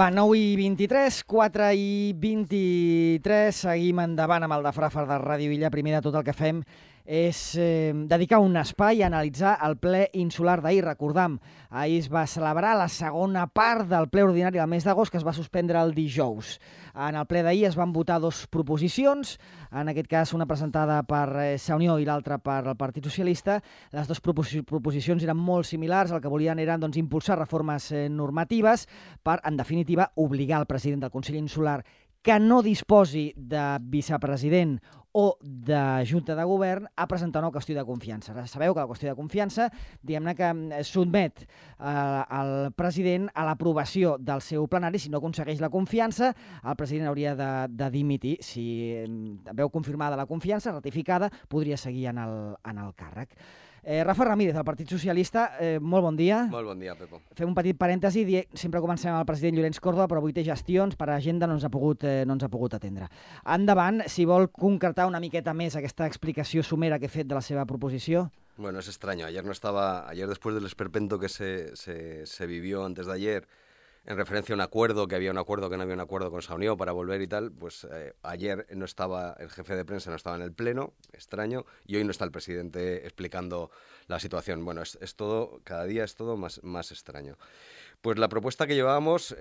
Va, 9 i 23, 4 i 23, seguim endavant amb el de Frafar de Ràdio Illa. Primer de tot el que fem és dedicar un espai a analitzar el ple insular d'ahir. Recordam, ahir es va celebrar la segona part del ple ordinari del mes d'agost, que es va suspendre el dijous. En el ple d'ahir es van votar dues proposicions, en aquest cas una presentada per Sa Unió i l'altra per el Partit Socialista. Les dues proposicions eren molt similars, el que volien era impulsar reformes normatives per, en definitiva, obligar el president del Consell Insular que no disposi de vicepresident o de junta de govern a presentar una qüestió de confiança. Ara sabeu que la qüestió de confiança, diguem-ne que sotmet el president a l'aprovació del seu plenari. Si no aconsegueix la confiança, el president hauria de dimitir. Si veu confirmada la confiança, ratificada, podria seguir en el càrrec. Rafa Ramírez, del Partit Socialista, molt bon dia. Molt bon dia, Pepo. Fem un petit parèntesi, sempre comencem amb el president Llorenç Córdoba, però avui té gestions, per agenda no ens ha pogut atendre. Endavant, si vol concretar una miqueta més aquesta explicació somera que he fet de la seva proposició. Bueno, es extraño. Ayer después del esperpento que se vivió antes de ayer, en referencia a un acuerdo, que había un acuerdo, que no había un acuerdo con Sa Unió para volver y tal, pues ayer no estaba el jefe de prensa, no estaba en el pleno, extraño, y hoy no está el presidente explicando la situación. Bueno, es todo, cada día es todo más extraño. Pues la propuesta que llevábamos,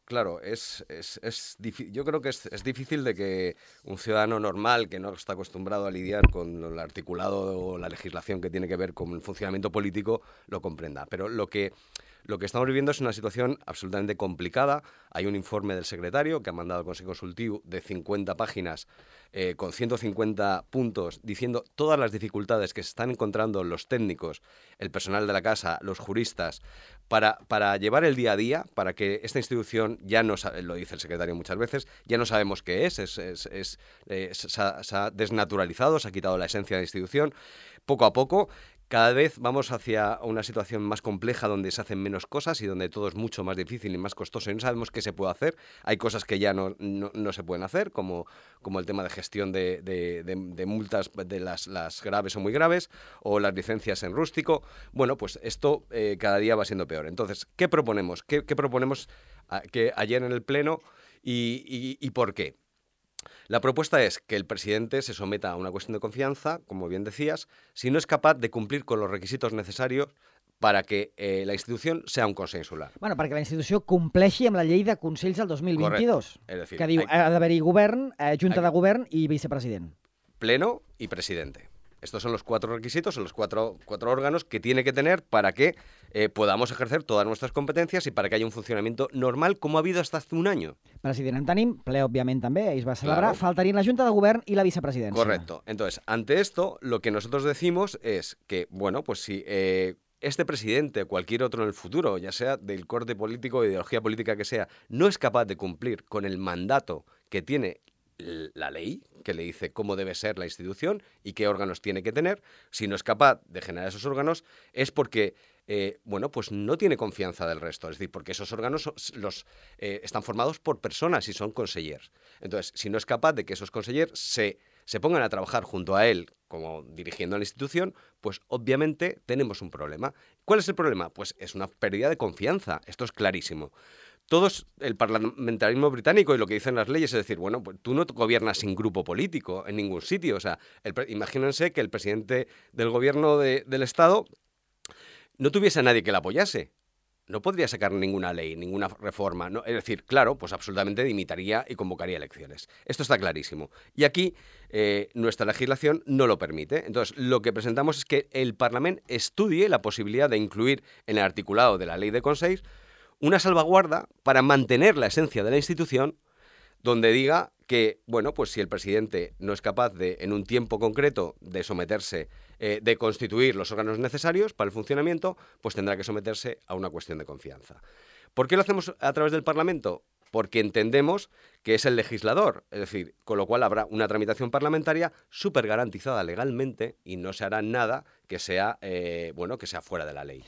claro, yo creo que es difícil de que un ciudadano normal que no está acostumbrado a lidiar con el articulado o la legislación que tiene que ver con el funcionamiento político lo comprenda. Pero lo que estamos viviendo es una situación absolutamente complicada. Hay un informe del secretario que ha mandado al Consejo Consultivo de 50 páginas con 150 puntos diciendo todas las dificultades que se están encontrando los técnicos, el personal de la casa, los juristas, para llevar el día a día, para que esta institución, ya no lo dice el secretario muchas veces, ya no sabemos qué se ha desnaturalizado, se ha quitado la esencia de la institución. Poco a poco, cada vez vamos hacia una situación más compleja donde se hacen menos cosas y donde todo es mucho más difícil y más costoso y no sabemos qué se puede hacer. Hay cosas que ya no se pueden hacer, como el tema de gestión de multas de las graves o muy graves, o las licencias en rústico. Bueno, pues esto cada día va siendo peor. Entonces, ¿qué proponemos? ¿Qué proponemos que ayer en el Pleno y por qué? La propuesta es que el presidente se someta a una cuestión de confianza, como bien decías, si no es capaz de cumplir con los requisitos necessàries para que la institució sea un Consell Insular. Bueno, perquè la institució compleixi amb la llei de Consells del 2022, decir, que diu ha d'haver-hi govern, junta de govern i vicepresident. Pleno y presidente. Estos son los 4 requisitos, son los cuatro órganos que tiene que tener para que podamos ejercer todas nuestras competencias y para que haya un funcionamiento normal como ha habido hasta hace un año. President en tenim, ple òbviament també, ahir es va celebrar, Claro. Faltarien la Junta de Govern y la vicepresidencia. Correcto. Entonces, ante esto, lo que nosotros decimos es que, bueno, pues si este presidente o cualquier otro en el futuro, ya sea del corte político o ideología política que sea, no es capaz de cumplir con el mandato que tiene la ley, que le dice cómo debe ser la institución y qué órganos tiene que tener, si no es capaz de generar esos órganos, es porque pues no tiene confianza del resto. Es decir, porque esos órganos están formados por personas y son consellers. Entonces, si no es capaz de que esos consellers se pongan a trabajar junto a él, como dirigiendo la institución, pues obviamente tenemos un problema. ¿Cuál es el problema? Pues es una pérdida de confianza. Esto es clarísimo. El parlamentarismo británico y lo que dicen las leyes es decir, bueno, pues tú no gobiernas sin grupo político en ningún sitio. O sea, imagínense que el presidente del gobierno del Estado no tuviese a nadie que le apoyase. No podría sacar ninguna ley, ninguna reforma. No, es decir, claro, pues absolutamente dimitiría y convocaría elecciones. Esto está clarísimo. Y aquí nuestra legislación no lo permite. Entonces, lo que presentamos es que el Parlamento estudie la posibilidad de incluir en el articulado de la ley de Consells una salvaguarda para mantener la esencia de la institución, donde diga que, bueno, pues si el presidente no es capaz de, en un tiempo concreto, de someterse, de constituir los órganos necesarios para el funcionamiento, pues tendrá que someterse a una cuestión de confianza. ¿Por qué lo hacemos a través del Parlamento? Porque entendemos que es el legislador, es decir, con lo cual habrá una tramitación parlamentaria súper garantizada legalmente y no se hará nada que sea, que sea fuera de la ley.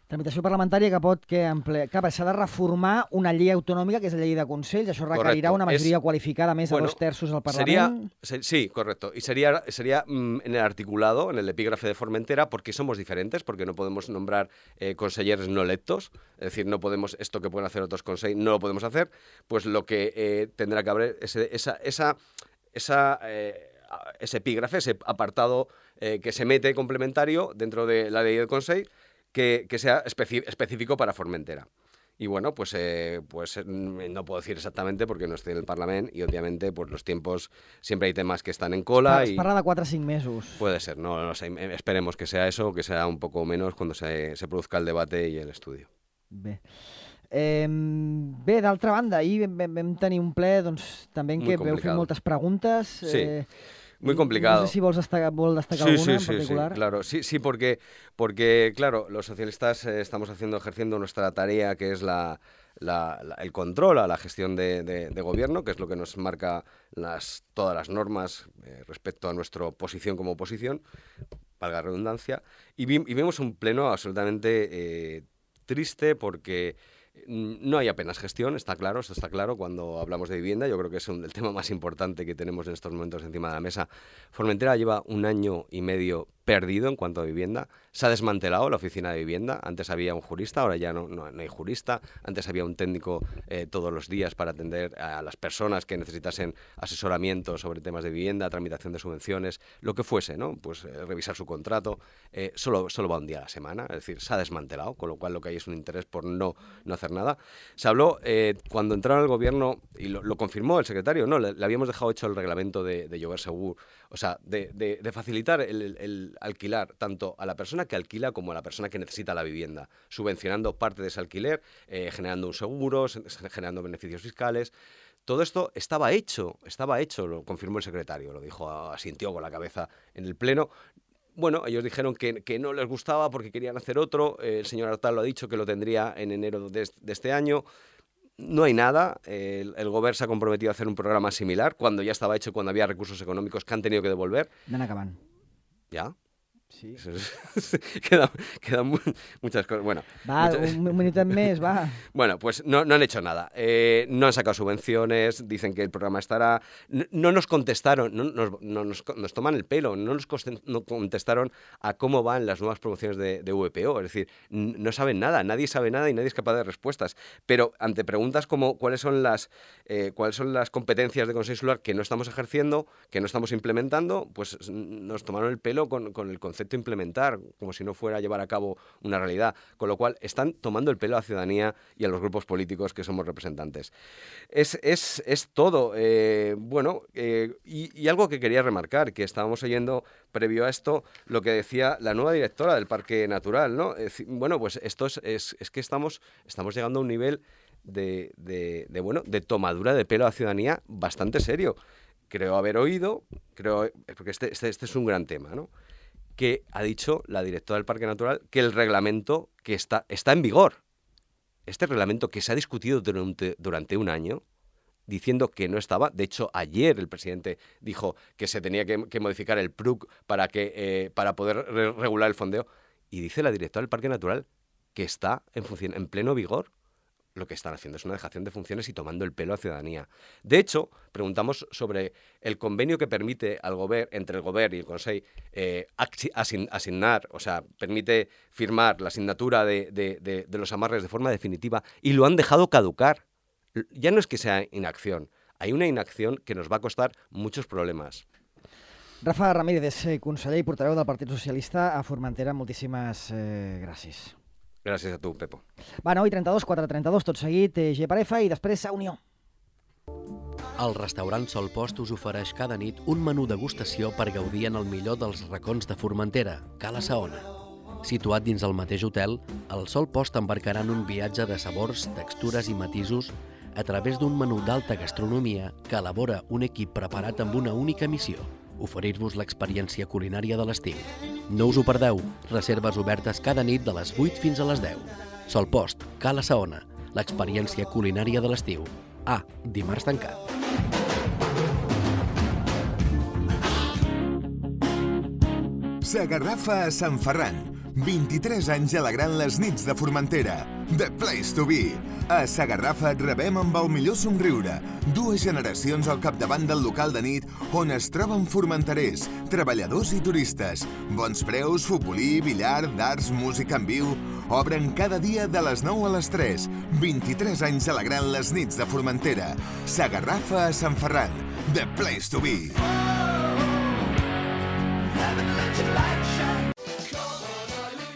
Tramitació parlamentària que pot s'ha de reformar una llei autonòmica, que és la llei de Consells. Això requerirà una majoria qualificada més de 2 terços al Parlament. Sí, correcto. Y sería en el articulado, en el epígrafe de Formentera, porque somos diferentes, porque no podemos nombrar consejeros no electos, es decir, no podemos, esto que pueden hacer otros consejeros, no lo podemos hacer, pues lo que tendrá que haber ese epígrafe, ese apartado que se mete complementario dentro de la ley del Consell, que sea específico para Formentera. Y bueno, pues no puedo decir exactamente porque no estoy en el Parlament y obviamente pues los tiempos, siempre hay temas que están en cola. Es parla de 4 o 5 mesos. Puede ser, no sé, esperemos que sea eso, que sea un poco menos cuando se produzca el debate y el estudio. Bé, d'altra banda, ahir vam tenir un ple doncs, també en què veu fer moltes preguntes. Sí. Muy complicado. No sé si vol destacar alguna en particular. Sí, claro. Sí, porque claro, los socialistas estamos ejerciendo nuestra tarea, que es el control a la gestión de gobierno, que es lo que nos marca todas las normas respecto a nuestra posición como oposición, valga la redundancia, y vimos un pleno absolutamente triste porque no hay apenas gestión, esto está claro cuando hablamos de vivienda. Yo creo que es el tema más importante que tenemos en estos momentos encima de la mesa. Formentera lleva 1 año y medio perdido en cuanto a vivienda. Se ha desmantelado la oficina de vivienda. Antes había un jurista, ahora ya no hay jurista. Antes había un técnico todos los días para atender a las personas que necesitasen asesoramiento sobre temas de vivienda, tramitación de subvenciones, lo que fuese, ¿no? Pues revisar su contrato. Solo va un día a la semana, es decir, se ha desmantelado, con lo cual lo que hay es un interés por no hacer nada. Se habló, cuando entraron al gobierno, y lo confirmó el secretario, no, le habíamos dejado hecho el reglamento de Lloguer Segur, o sea, de facilitar el alquilar tanto a la persona que alquila como a la persona que necesita la vivienda, subvencionando parte de ese alquiler, generando un seguro, generando beneficios fiscales. Todo esto estaba hecho, lo confirmó el secretario, lo dijo, asintió con la cabeza en el pleno. Bueno, ellos dijeron que no les gustaba porque querían hacer otro. El señor Artal lo ha dicho que lo tendría en enero de este año. No hay nada. El Govern s'ha comprometido a hacer un programa similar cuando ya estaba hecho, cuando había recursos económicos que han tenido que devolver. Van acabant. ¿Ya? Sí. Quedan muchas cosas. Bueno, un minuto más, va. Bueno, pues no han hecho nada. No han sacado subvenciones, dicen que el programa estará. No nos contestaron, nos toman el pelo, no contestaron a cómo van las nuevas promociones de VPO. Es decir, no saben nada, nadie sabe nada y nadie es capaz de dar respuestas. Pero ante preguntas como cuáles son las competencias de Consell Insular que no estamos ejerciendo, que no estamos implementando, pues nos tomaron el pelo con el concepto implementar, como si no fuera a llevar a cabo una realidad, con lo cual están tomando el pelo a la ciudadanía y a los grupos políticos que somos representantes. Es todo. Y algo que quería remarcar, que estábamos oyendo previo a esto, lo que decía la nueva directora del Parque Natural, ¿no? Bueno, pues esto es que estamos llegando a un nivel de tomadura de pelo a la ciudadanía bastante serio. Creo haber oído, porque este es un gran tema, ¿no?, que ha dicho la directora del Parque Natural que el reglamento que está en vigor, este reglamento que se ha discutido durante 1 año, diciendo que no estaba. De hecho, ayer el presidente dijo que se tenía que modificar el PRUC para poder regular el fondeo, y dice la directora del Parque Natural que está en pleno vigor. Lo que están haciendo es una dejación de funciones y tomando el pelo a la ciudadanía. De hecho, preguntamos sobre el convenio que permite entre el Govern y el Consell asignar, o sea, permite firmar la asignatura de los amarres de forma definitiva, y lo han dejado caducar. Ya no es que sea inacción, hay una inacción que nos va a costar muchos problemas. Rafa Ramírez, conseller i portaveu del Partit Socialista a Formentera, moltíssimes gràcies. Gràcies a tu, Pepo. Va, 9:32, 4:32, tot seguit, G-Parefa i després a Unió. El restaurant Sol Post us ofereix cada nit un menú degustació per gaudir en el millor dels racons de Formentera, Cala Saona. Situat dins el mateix hotel, el Sol Post embarcarà en un viatge de sabors, textures i matisos a través d'un menú d'alta gastronomia que elabora un equip preparat amb una única missió: oferir-vos l'experiència culinària de l'estiu. No us ho perdeu, reserves obertes cada nit de les 8 fins a les 10. Sol Post, Cala Saona, l'experiència culinària de l'estiu. Dimarts tancat. S'agarrafa a Sant Ferran, 23 anys alegrant les nits de Formentera. The Place to Be. A Sagarrafa et rebem amb el millor somriure. 2 generacions al capdavant del local de nit on es troben formenterers, treballadors i turistes. Bons preus, futbolí, billar, darts, música en viu. Obren cada dia de les 9 a les 3. 23 anys alegrant les nits de Formentera. Sagarrafa a Sant Ferran. The Place to Be.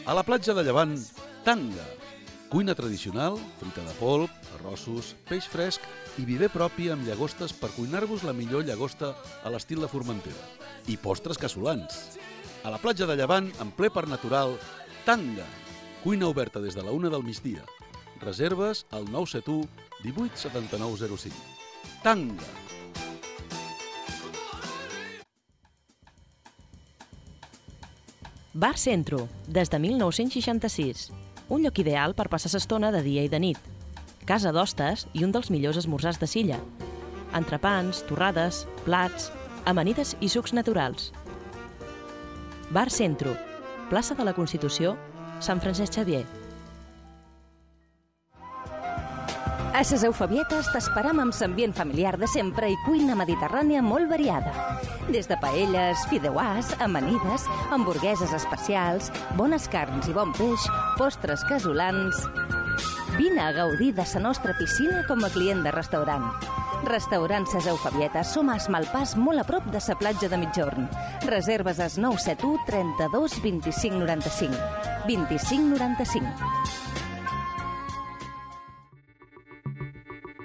A la platja de Llevant, tanga. Cuina tradicional, fruita de polp, arrossos, peix fresc i viver propi amb llagostes per cuinar-vos la millor llagosta a l'estil de Formentera. I postres casolans. A la platja de Llevant, en ple parc natural, tanga. Cuina oberta des de la 1 del migdia. Reserves al 971 18 79 05. Tanga. Bar Centro, des de 1966. Un lloc ideal per passar l'estona de dia i de nit. Casa d'hostes i un dels millors esmorzars de Silla. Entrepans, torrades, plats, amanides i sucs naturals. Bar Centro, plaça de la Constitució, Sant Francesc Xavier. A ses Eufebietes t'esperam amb l'ambient familiar de sempre i cuina mediterrània molt variada. Des de paelles, fideuàs, amanides, hamburgueses especials, bones carns i bon peix, postres casolans... Vine a gaudir de la nostra piscina com a client de restaurant. Restaurant Ses Eufebietes, som a Esmalpàs, molt a prop de la platja de Migjorn. Reserves al 971 32 25 95. 25 95.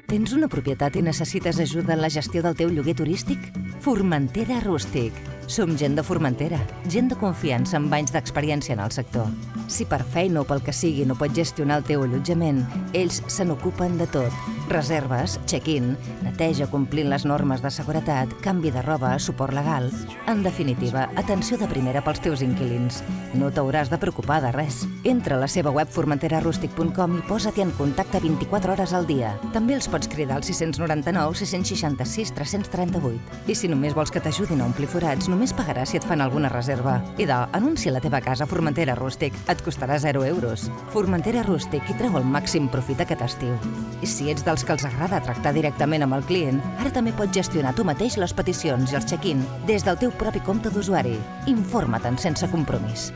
Tens una propietat i necessites ajuda en la gestió del teu lloguer turístic? Formentera Rústic. Som gent de Formentera, gent de confiança amb anys d'experiència en el sector. Si per feina o pel que sigui no pots gestionar el teu allotjament, ells se n'ocupen de tot. Reserves, check-in, neteja complint les normes de seguretat, canvi de roba, suport legal... En definitiva, atenció de primera pels teus inquilins. No t'hauràs de preocupar de res. Entra a la seva web formenterarústic.com i posa-t'hi en contacte 24 hores al dia. També els pots cridar al 699 666 338. I si només vols que t'ajudin a omplir forats, només pagaràs si et fan alguna reserva. I anuncia la teva casa a Formentera Rústic. Et costarà 0 euros. Formentera Rústic i treu el màxim profit aquest estiu. I si ets dels que els agrada tractar directament amb el client, ara també pots gestionar tu mateix les peticions i els check-in des del teu propi compte d'usuari. Informa-te'n sense compromís.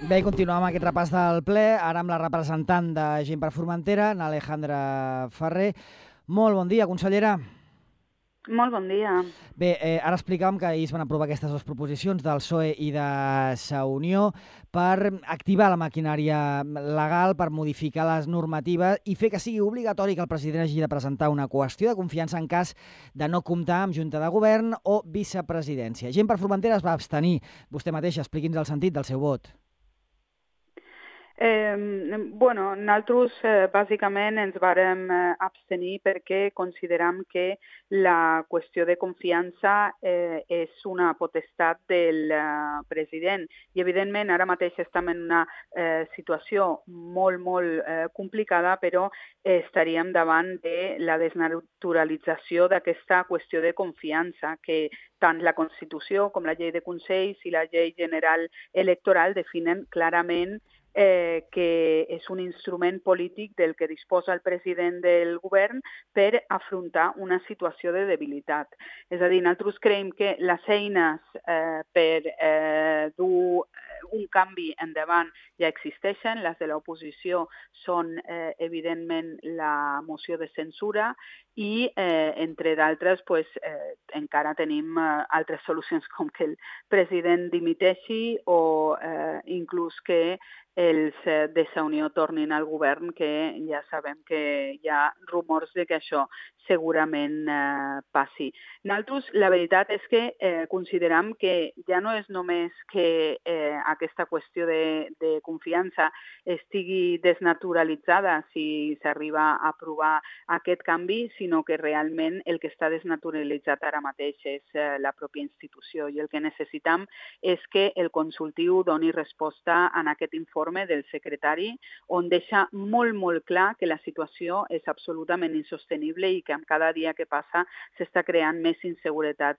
Bé, continuem amb aquest repàs del ple, ara amb la representant de Gent per Formentera, n'Alejandra Ferrer. Molt bon dia, consellera. Molt bon dia. Bé, ara explicàvem que ahir es van aprovar aquestes 2 proposicions del PSOE i de Sa Unió per activar la maquinària legal, per modificar les normatives i fer que sigui obligatori que el president hagi de presentar una qüestió de confiança en cas de no comptar amb Junta de Govern o vicepresidència. Gent per Formentera es va abstenir. Vostè mateixa, expliqui'ns el sentit del seu vot. Nosaltres bàsicament ens vàrem abstenir perquè consideram que la qüestió de confiança és una potestat del president i evidentment ara mateix estem en una situació molt complicada, però estaríem davant de la desnaturalització d'aquesta qüestió de confiança que tant la Constitució com la llei de Consells i la llei general electoral definen clarament que és un instrument polític del que disposa el president del govern per afrontar una situació de debilitat. És a dir, nosaltres creiem que les eines per dur un canvi endavant ja existeixen. Les de l'oposició són, evidentment, la moció de censura i, entre d'altres, encara tenim altres solucions com que el president dimiteixi o inclús que els de Sa Unió tornin al govern, que ja sabem que hi ha rumors de que això segurament passi. Nosaltres, la veritat és que consideram que ja no és només que aquesta qüestió de confiança estigui desnaturalitzada si s'arriba a aprovar aquest canvi, sinó que realment el que està desnaturalitzat ara mateix és la pròpia institució, i el que necessitam és que el consultiu doni resposta en aquest informe del secretari, on deixa molt, molt clar que la situació és absolutament insostenible i que amb cada dia que passa s'està creant més inseguretat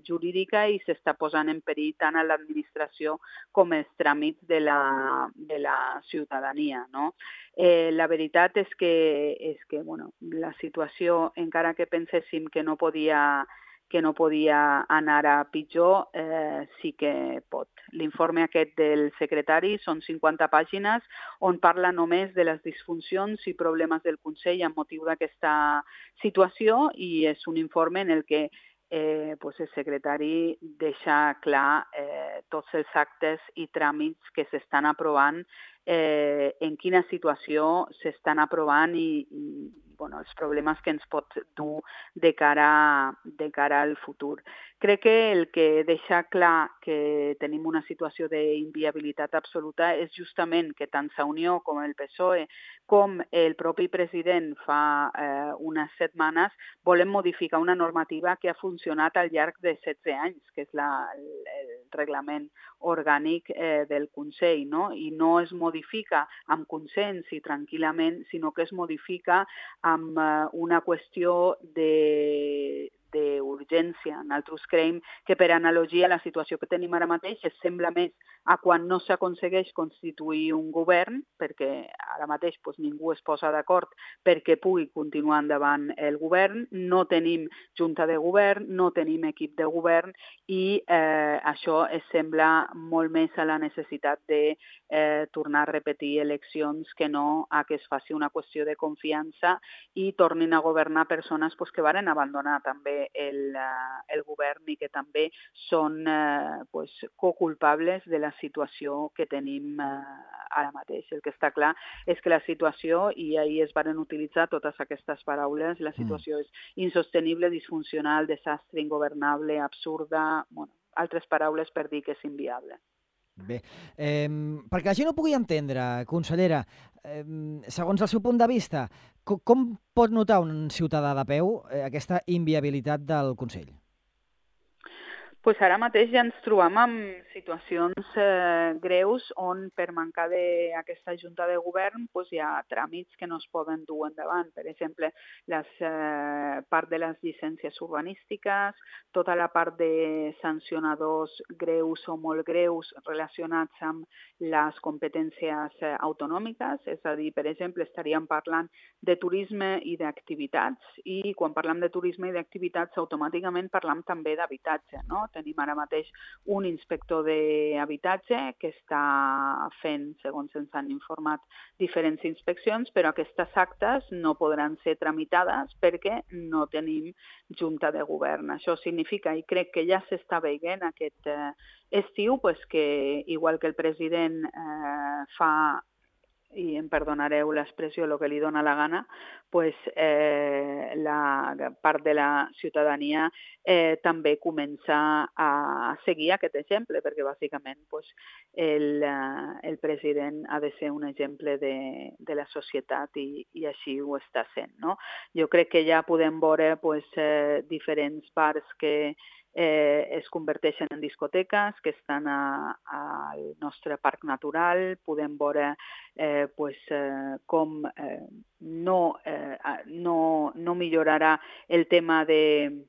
jurídica i s'està posant en perill tant a l'administració com els tràmits de la ciutadania, no? La veritat és que bueno, la situació, encara que penséssim que no podia anar a pitjor, sí que pot. L'informe aquest del secretari són 50 pàgines on parla només de les disfuncions i problemes del Consell amb motiu d'aquesta situació, i és un informe en el que el secretari deixa clar tots els actes i tràmits que s'estan aprovant, en quina situació s'estan aprovant i els problemes que ens pot dur de cara al futur. Crec que el que deixa clar que tenim una situació d'inviabilitat absoluta és justament que tant Sa Unió com el PSOE com el propi president fa unes setmanes volem modificar una normativa que ha funcionat al llarg de 16 anys, que és el reglament orgànic del Consell, no? I no es modifica amb consens i tranquil·lament, sinó que es modifica amb una qüestió d'urgència. Nosaltres creiem que, per analogia, la situació que tenim ara mateix es sembla més a quan no s'aconsegueix constituir un govern, perquè ara mateix ningú es posa d'acord perquè pugui continuar endavant el govern, no tenim junta de govern, no tenim equip de govern, i això es sembla molt més a la necessitat de tornar a repetir eleccions que no a que es faci una qüestió de confiança i tornin a governar persones que varen abandonar també el govern i que també són coculpables de la situació que tenim ara mateix. El que està clar és que la situació, i ahir es varen utilitzar totes aquestes paraules, la situació és insostenible, disfuncional, desastre, ingovernable, absurda, altres paraules per dir que és inviable. Bé, perquè la gent ho pugui entendre, consellera, segons el seu punt de vista, com pot notar un ciutadà de peu aquesta inviabilitat del Consell? Ara mateix ja ens trobem amb situacions greus on, per mancar d'aquesta junta de govern, hi ha tràmits que no es poden dur endavant. Per exemple, part de les llicències urbanístiques, tota la part de sancionadors greus o molt greus relacionats amb les competències autonòmiques, és a dir, per exemple, estaríem parlant de turisme i d'activitats, i quan parlem de turisme i d'activitats automàticament parlem també d'habitatge, no? Tenim ara mateix un inspector d'habitatge que està fent, segons ens han informat, diferents inspeccions, però aquestes actes no podran ser tramitades perquè no tenim junta de govern. Això significa, i crec que ja s'està veient aquest estiu, que igual que el president fa, i em perdonareu l'expressió, el que li dona la gana, la part de la ciutadania també comença a seguir aquest exemple, perquè bàsicament el president ha de ser un exemple de la societat i així ho està sent, no? Jo crec que ja podem veure diferents bars que es converteixen en discoteques, que estan al nostre parc natural. Podem veure com no millorarà el tema de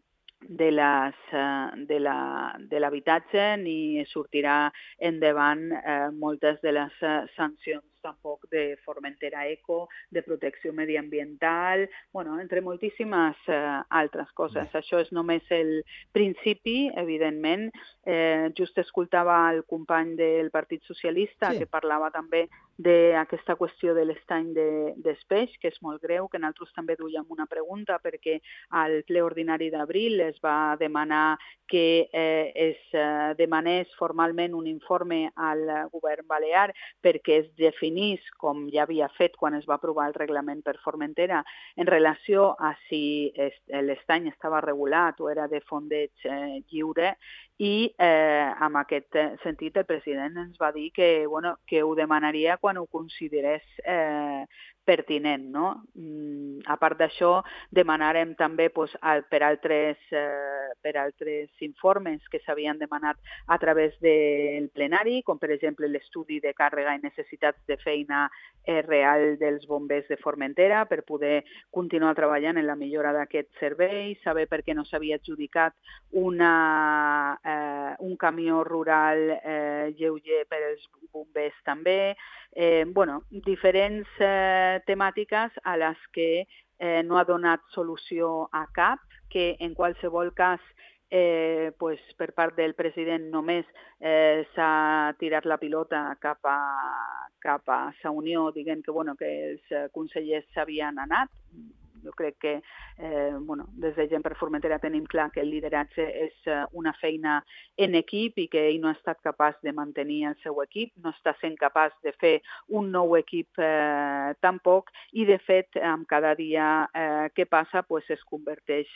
l'habitatge ni sortirà endavant moltes de les sancions tampoc de Formentera Eco, de protecció mediambiental, entre moltíssimes altres coses. Això és només el principi, evidentment. Just escoltava el company del Partit Socialista que parlava també d'aquesta qüestió de l'estany dels peix, que és molt greu, que nosaltres també duíem una pregunta perquè al ple ordinari d'abril es va demanar que es demanés formalment un informe al govern balear perquè es definís, com ja havia fet quan es va aprovar el reglament per Formentera, en relació a si l'estany estava regulat o era de fondeig lliure, i en aquest sentit el president ens va dir que ho demanaria quan ho considerés pertinent. No? A part d'això, demanarem també per altres informes que s'havien demanat a través del plenari, com per exemple l'estudi de càrrega i necessitats de feina real dels bombers de Formentera per poder continuar treballant en la millora d'aquest servei, saber per què no s'havia adjudicat un camió rural lleuger per als bombers també. Diferents temàtiques a les que no ha donat solució a cap, que en qualsevol cas per part del president només s'ha tirat la pilota cap a Sa Unió, dient que els consellers s'havien anat. Jo crec que des de Gent per Formentera tenim clar que el lideratge és una feina en equip i que ell no ha estat capaç de mantenir el seu equip, no està sent capaç de fer un nou equip tampoc, i de fet amb cada dia que passa es converteix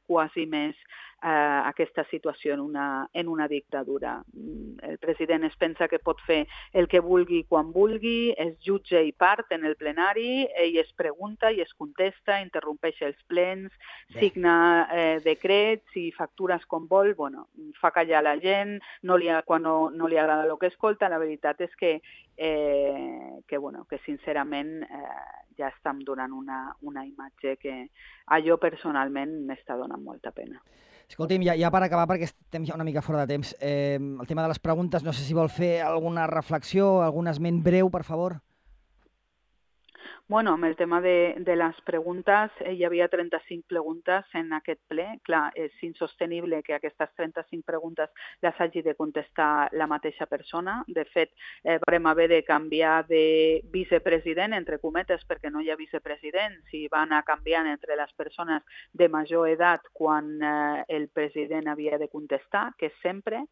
quasi més aquesta situació en una dictadura. El president es pensa que pot fer el que vulgui quan vulgui, es jutge i part en el plenari, ell es pregunta i es contesta, interrompeix els plens, signa decrets i factures com vol, fa callar la gent, quan no li agrada el que escolta. La veritat és que sincerament ja estem donant una imatge que a jo personalment m'està donant molta pena. Escolti'm, ja per acabar, perquè estem ja una mica fora de temps, el tema de les preguntes, no sé si vol fer alguna reflexió, algun esment breu, per favor. Amb el tema de les preguntes, hi havia 35 preguntes en aquest ple. Clar, és insostenible que aquestes 35 preguntes les hagi de contestar la mateixa persona. De fet, vam haver de canviar de vicepresident, entre cometes, perquè no hi ha vicepresidents, i va anar canviant entre les persones de major edat quan el president havia de contestar, que és sempre.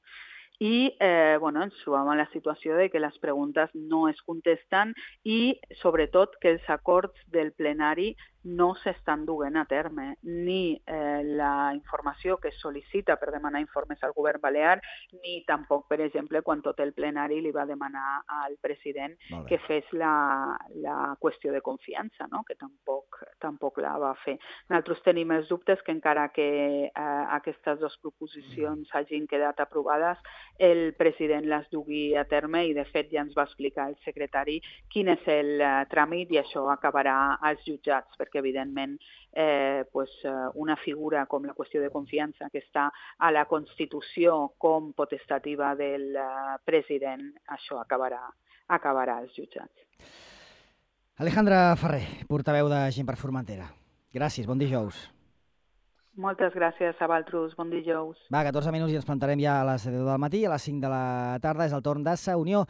I ens trobam en la situació de que les preguntes no es contesten i, sobretot, que els acords del plenari no s'estan duent a terme, ni la informació que es sol·licita per demanar informes al govern balear, ni tampoc, per exemple, quan tot el plenari li va demanar al president que fes la qüestió de confiança, no? Que tampoc la va fer. Nosaltres tenim els dubtes que encara que aquestes dues proposicions hagin quedat aprovades, el president les dugui a terme i, de fet, ja ens va explicar el secretari quin és el tràmit i això acabarà als jutjats, perquè evidentment una figura com la qüestió de confiança que està a la Constitució com potestativa del president, això acabarà als jutjats. Alejandra Ferrer, portaveu de Gent per Formentera. Gràcies, bon dijous. Moltes gràcies a vosaltres, bon dijous. 14 minuts i ens plantarem ja a les 10 del matí, a les 5 de la tarda és el torn de Sa Unió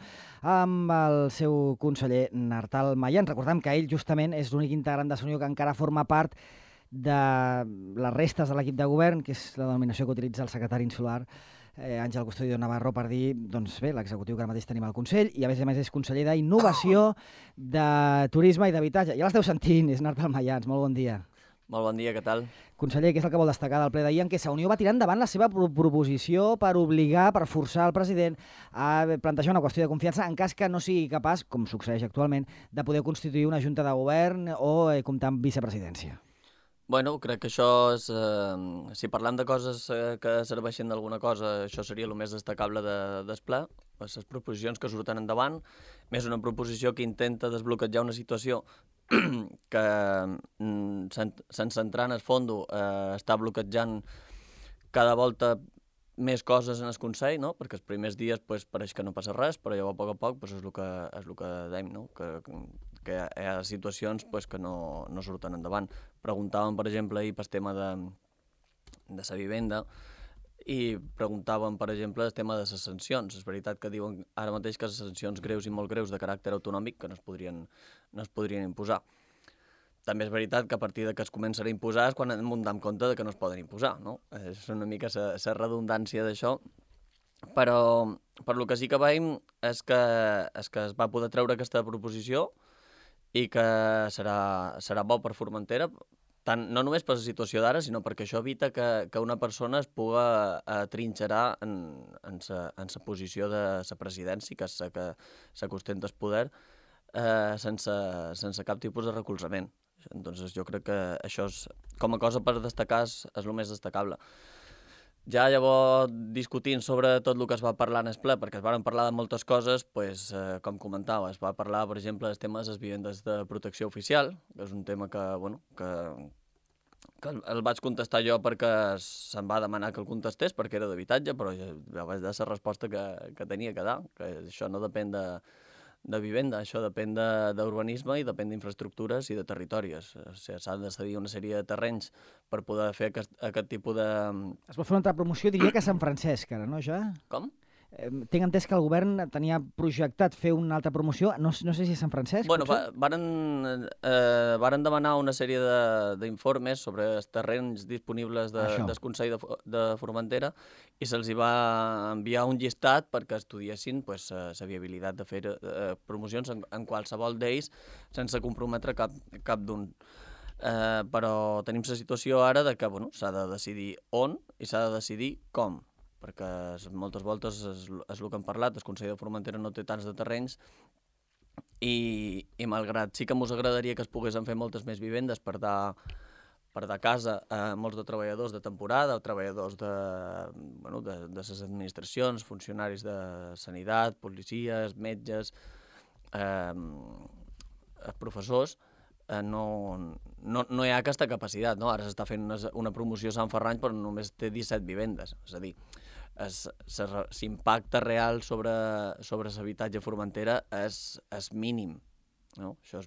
amb el seu conseller Nartal Mayans. Recordem que ell justament és l'únic integrant de Sa Unió que encara forma part de les restes de l'equip de govern, que és la denominació que utilitza el secretari insular Àngel Custodio Navarro per dir, l'executiu que ara mateix tenim al Consell, i a més és conseller d'Innovació, de Turisme i d'Habitatge. Ja l'esteu sentint, és Nartal Mayans. Molt bon dia. Molt bon dia, què tal? Conseller, què és el que vol destacar del ple d'ahir en què Sa Unió va tirar endavant la seva proposició per obligar, per forçar el president a plantejar una qüestió de confiança en cas que no sigui capaç, com succeeix actualment, de poder constituir una junta de govern o comptar amb vicepresidència? Bueno, crec que això és... si parlem de coses que serveixen d'alguna cosa, això seria el més destacable del ple, les proposicions que surten endavant, més una proposició que intenta desbloquejar una situació que, sense entrar en el fons, està bloquejant cada volta més coses en el Consell, no? Perquè els primers dies pareix que no passa res, però llavors a poc és el que dèiem, no? Que hi ha situacions que no surten endavant. Preguntàvem, per exemple, ahir pel tema de la vivenda, i preguntaven, per exemple, el tema de les sancions. És veritat que diuen ara mateix que les sancions greus i molt greus de caràcter autonòmic que no es podrien imposar. També és veritat que a partir de que es començarà a imposar és quan hem de donar compte de que no es poden imposar, no? És una mica la redundància d'això, però per lo que sí que veiem és que es va poder treure aquesta proposició i que serà bo per Formentera, no només per la situació d'ara, sinó perquè això evita que una persona es puga trinxerar en sa posició de la presidència, que és la que s'acostenta al poder, sense cap tipus de recolzament. Entonces jo crec que això com a cosa per destacar és el més destacable. Ja llavors, discutint sobre tot el que es va parlar en el ple, perquè es van parlar de moltes coses, pues, com comentava, es va parlar, per exemple, dels temes de les vivendes de protecció oficial, que és un tema que el vaig contestar jo perquè se'm va demanar que el contestés, perquè era d'habitatge, però ja vaig dar la resposta que tenia que dar, que això no depèn de vivenda, això depèn d'urbanisme i depèn d'infraestructures i de territoris. O sigui, s'ha de cedir una sèrie de terrenys per poder fer aquest tipus de... Es va fer una altra promoció, diria que a Sant Francesc, ara, no, ja? Com? Tinc entès que el govern tenia projectat fer una altra promoció, no sé si a Sant Francesc, bueno, potser? Varen demanar una sèrie d'informes sobre els terrenys disponibles del Consell de Formentera i se'ls va enviar un llistat perquè estudiessin la viabilitat de fer promocions en qualsevol d'ells sense comprometre cap d'un. Però tenim la situació ara de que s'ha de decidir on i s'ha de decidir com, perquè moltes voltes és el que hem parlat, el Consell de Formentera no té tants de terrenys i malgrat sí que ens agradaria que es poguessin fer moltes més vivendes per dar casa a molts de treballadors de temporada o treballadors de les administracions, funcionaris de sanitat, policies, metges, professors, no hi ha aquesta capacitat, no? Ara s'està fent una promoció a Sant Ferrany però només té 17 vivendes, és a dir, l'impacte real sobre l'habitatge a Formentera és mínim, no? Això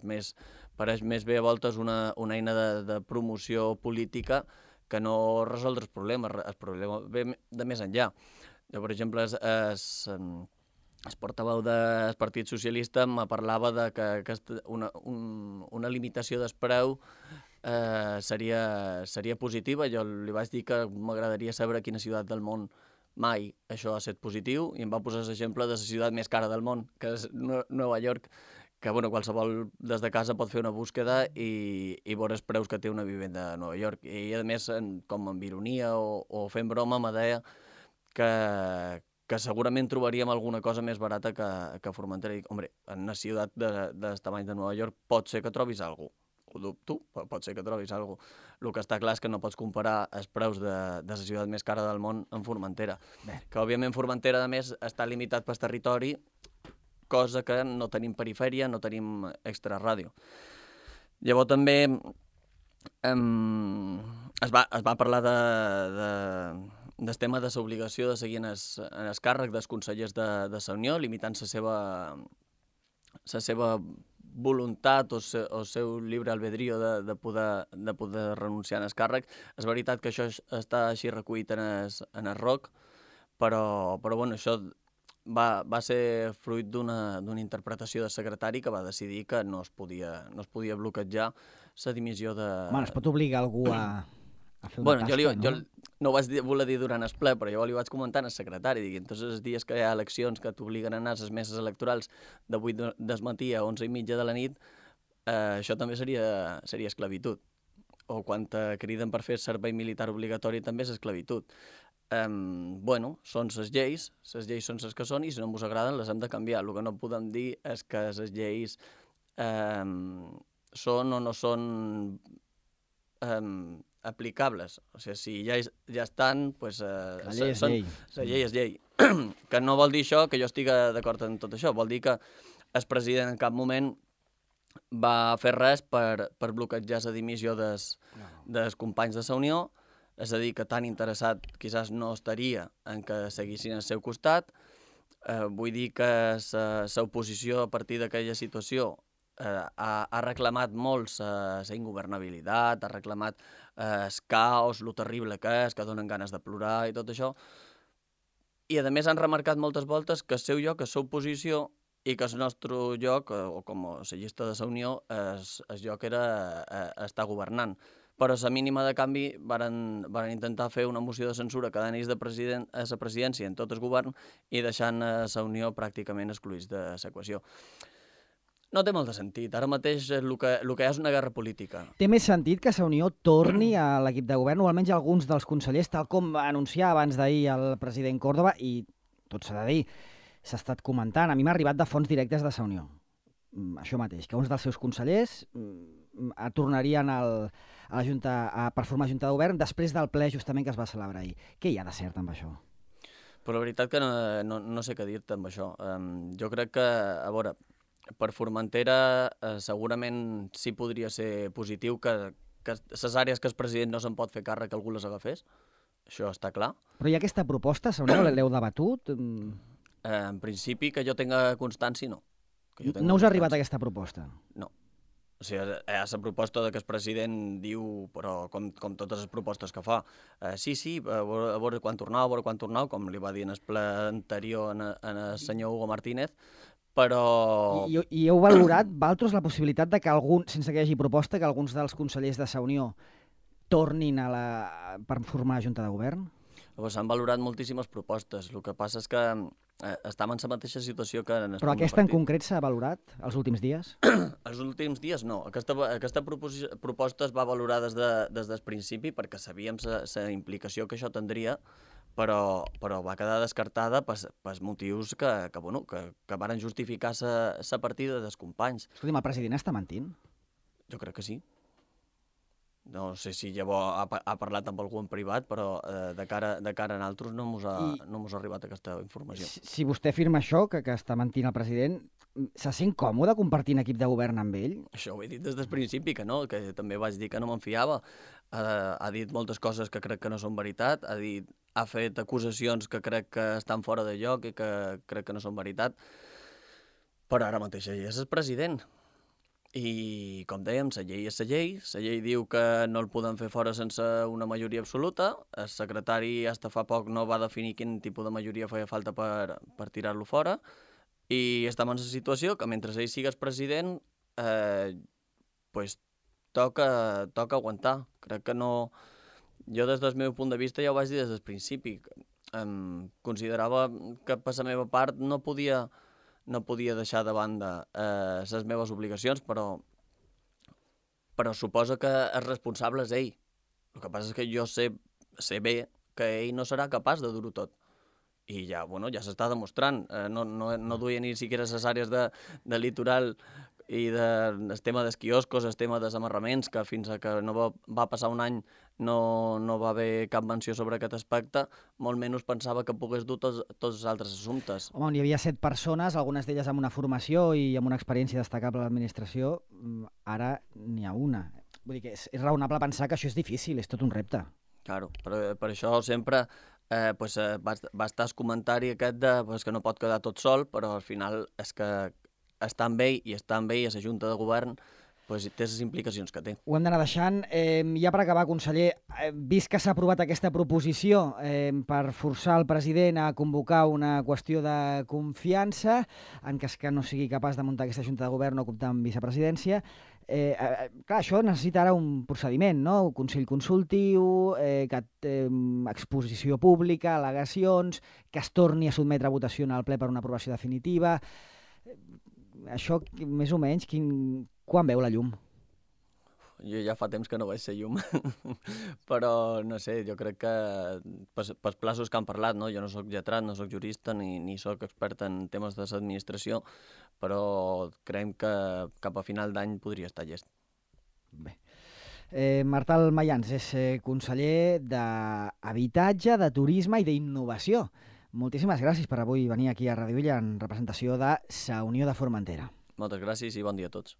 pareix més bé a voltes una eina de promoció política que no resoldre el problema ve de més enllà. Jo, per exemple, el portaveu del Partit Socialista me parlava de que una limitació del preu seria positiva. Jo li vaig dir que m'agradaria saber a quina ciutat del món mai això ha estat positiu i em va posar l'exemple de la ciutat més cara del món, que és Nova York, que qualsevol des de casa pot fer una búsqueda i veure els preus que té una vivenda a Nova York. I a més, com amb ironia o fent broma, me deia que segurament trobaríem alguna cosa més barata que Formentera. I dic, home, en una ciutat del tamany de Nova York pot ser que trobis alguna cosa. Ho dubto, pot ser que trobis alguna cosa. El que està clar és que no pots comparar els preus de la ciutat més cara del món amb Formentera. Que, òbviament, Formentera, a més, està limitat pel territori, cosa que no tenim perifèria, no tenim extraràdio. Llavors també es va parlar del tema de l'obligació de seguir en el càrrec dels consellers de la Unió, limitant la seva voluntat o el seu lliure albedrío de poder renunciar al càrrec. És veritat que això està així recollit en el ROC, però això va ser fruit d'una interpretació del secretari que va decidir que no es podia bloquejar la dimissió de... Bueno, es pot obligar algú a fer una tasca, jo no ho vaig voler dir durant el ple, però jo li vaig comentar al secretari, dic, entonces els dies que hi ha eleccions que t'obliguen a anar a les meses electorals de 8 del matí a 11:30 de la nit, això també seria esclavitud. O quan te criden per fer servei militar obligatori també és esclavitud. Són les lleis són les que són i si no ens agraden les hem de canviar. El que no podem dir és que les lleis són o no són aplicables. O sigui, si ja estan, doncs... La llei és llei. La llei és llei. Que no vol dir això que jo estigui d'acord en tot això. Vol dir que el president en cap moment va fer res per bloquejar la dimissió dels companys de la Unió. És a dir, que tan interessat quizás no estaria en que seguissin al seu costat. Vull dir que l'oposició a partir d'aquella situació ha reclamat molt la ingovernabilitat, ha reclamat el caos, lo terrible que és, que donen ganes de plorar i tot això. I, a més, han remarcat moltes voltes que el seu lloc és l'oposició i que el nostre lloc, o com a llista de la Unió, el lloc era estar governant. Però a la mínima de canvi van intentar fer una moció de censura que anés a la presidència en tot el govern i deixant la Unió pràcticament excluïts de l'equació. No té molt de sentit. Ara mateix el que hi ha és una guerra política. Té més sentit que la Unió torni a l'equip de govern, o almenys alguns dels consellers, tal com va anunciar abans d'ahir el president Córdoba, i tot s'ha de dir, s'ha estat comentant. A mi m'ha arribat de fonts directes de la Unió. Això mateix, que uns dels seus consellers tornarien a la Junta per formar Junta de Govern després del ple justament que es va celebrar ahir. Què hi ha de cert amb això? Però la veritat que no sé què dir-te amb això. Jo crec que, a veure, per Formentera segurament sí podria ser positiu que les àrees que el president no se'n pot fer càrrec, algú les agafés. Això està clar. Però hi ha aquesta proposta, l'heu debatut? En principi, que jo tenga constància, no. No us ha arribat aquesta proposta? No. O sigui, hi ha la proposta que el president diu, però com totes les propostes que fa, sí, a veure quan tornau, com li va dir en el ple anterior en el senyor Hugo Martínez, però... I heu valorat, vosaltres, la possibilitat de que sense que hi hagi proposta, que alguns dels consellers de la Unió tornin per formar la Junta de Govern? S'han valorat moltíssimes propostes. El que passa és que estem en la mateixa situació que... Però aquesta en concret s'ha valorat els últims dies? Els últims dies no. Aquesta proposta es va valorar des del principi perquè sabíem la implicació que això tindria, però va quedar descartada per motius que varen justificar la partida dels companys. Escolti'm, el president està mentint? Jo crec que sí. No sé si llavors ha parlat amb algú en privat, però de cara a nosaltres no mos ha arribat aquesta informació. Si vostè afirma això, que està mentint el president, se sent còmode compartint equip de govern amb ell? Això ho he dit des del principi, que no, que també vaig dir que no me'n fiava. Ha dit moltes coses que crec que no són veritat, ha fet acusacions que crec que estan fora de lloc i que crec que no són veritat, però ara mateix ell és el president. I, com dèiem, la llei és la llei. La llei diu que no el poden fer fora sense una majoria absoluta. El secretari, fins fa poc, no va definir quin tipus de majoria feia falta per tirar-lo fora. I estem en la situació que, mentre ell sigues president, toca aguantar. Crec que no... Jo, des del meu punt de vista, ja ho vaig dir des del principi. Considerava que, per la meva part, no podia deixar de banda les meves obligacions, però suposa que el responsable és ell. El que passa és que jo sé bé que ell no serà capaç de dur-ho tot. I ja s'està demostrant. No duia ni siquiera les àrees de litoral i el tema dels quioscos, el tema dels amarraments, que fins que no va passar un any no va haver cap menció sobre aquest aspecte, molt menys pensava que pogués dur tots els altres assumptes. Home, hi havia 7 persones, algunes d'elles amb una formació i amb una experiència destacable a l'administració, ara n'hi ha una. Vull dir que és raonable pensar que això és difícil, és tot un repte. Claro, per això sempre va estar el comentari aquest que no pot quedar tot sol, però al final és que està amb ell i està amb ell a la Junta de Govern, té les implicacions que té. Ho hem d'anar deixant. Ja per acabar, conseller, vist que s'ha aprovat aquesta proposició per forçar el president a convocar una qüestió de confiança, en cas que no sigui capaç de muntar aquesta Junta de Govern o comptar amb vicepresidència, clar, això necessita ara un procediment, no? Un consell consultiu, exposició pública, al·legacions, que es torni a sotmetre a votació en el ple per una aprovació definitiva. Això, més o menys, quan veu la llum? Jo ja fa temps que no veig la llum, però no sé, jo crec que pels plaços que han parlat, no? Jo no soc lletrat, no soc jurista ni soc expert en temes de l'administració, però creiem que cap a final d'any podria estar llest. Bé. Martal Mayans és conseller d'Habitatge, de Turisme i d'Innovació. Moltíssimes gràcies per avui venir aquí a Radio Illa en representació de la Unió de Formentera. Moltes gràcies i bon dia a tots.